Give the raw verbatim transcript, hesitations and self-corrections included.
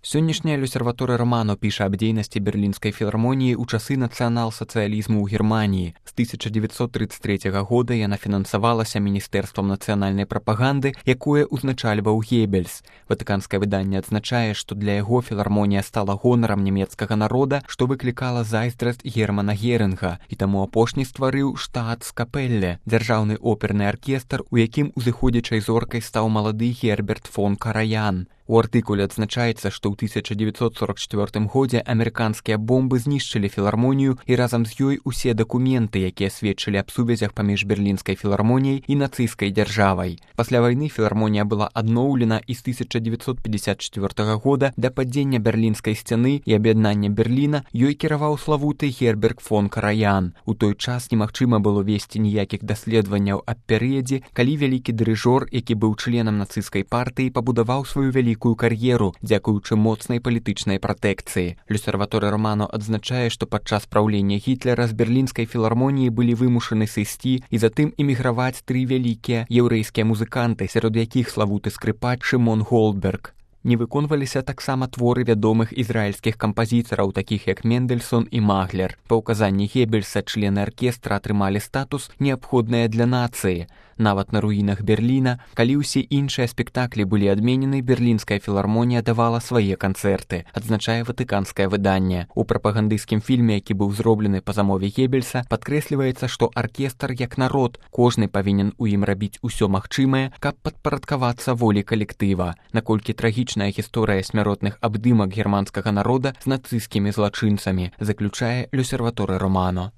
Сённяшняя Люсерваторыя Романо піша аб дзейнасці берлінскай філармоніі ў часы нацыянал-сацыялізму ў Германіі. З тысяча дзевяцьсот трыццаць трэцяга года яна фінансавалася Міністэрствам нацыянальнай прапаганды, якое ўзначальваў Геббельс. Ватыканскае выданне адзначае, што для яго філармонія стала гонарам нямецкага народа, што выклікала зайздрасць Германа Герынга, і таму апошні стварыў штаатскапелле, дзяржаўны оперны аркестр, у якім узыходзячай зоркай стаў малады Герберт фон Караян. У артыкуле адзначаецца, што ў тысяча дзевяцьсот сорак чацвёртым годзе амерыканскія бомбы знішчылі філармонію і разам з ёй усе дакументы, якія сведчылі аб сувязях паміж берлінскай філармоніяй і нацысцкай дзяржавай. Пасля вайны філармонія была адноўлена і з тысяча дзевяцьсот пятьдесят чацвёртага года да падзення берлінскай сцяны і аб'яднання Берліна ёй кіраваў славуты Герберт фон Караян. У той час немагчыма было весці ніякіх даследаванняў аб перыядзе, калі вялікі дырыжор, які быў членам нацысцкай партыі, пабудаваў сваю вялікую кар'еру, дзякуючы моцнай палітычнай пратэкцыі. Люсерваторыя Романо адзначае, што падчас праўлення Гітлера з берлінскай філармоніі былі вымушаны сысці і затым эміграваць тры вялікія яўрэйскія музыканты, сярод якіх славуты скрыпач Шымон Голдберг. Не выконваліся таксама творы вядомых ізраільскіх кампазітараў, такіх як Мендельсон і Маглер. Па ўказанні Геббельса члены аркестра атрымалі статус, неабходныя для нацыі. Нават на руінах Берліна, калі ўсе іншыя спектаклі былі адменены, берлінская філармонія давала свае канцэрты, адзначае ватыканскае выданне. У прапагандысцкім фільме, які быў зроблены па замове Геббельса, падкрэсліваецца, што аркестр як народ, кожны павінен у ім рабіць усё магчымае, каб падпарадкавацца волі калектыва. Наколькі трагічная гісторыя смяротных абдымак германскага народа з нацысцкімі злачынцамі, заключае Люсерваторыя Романо.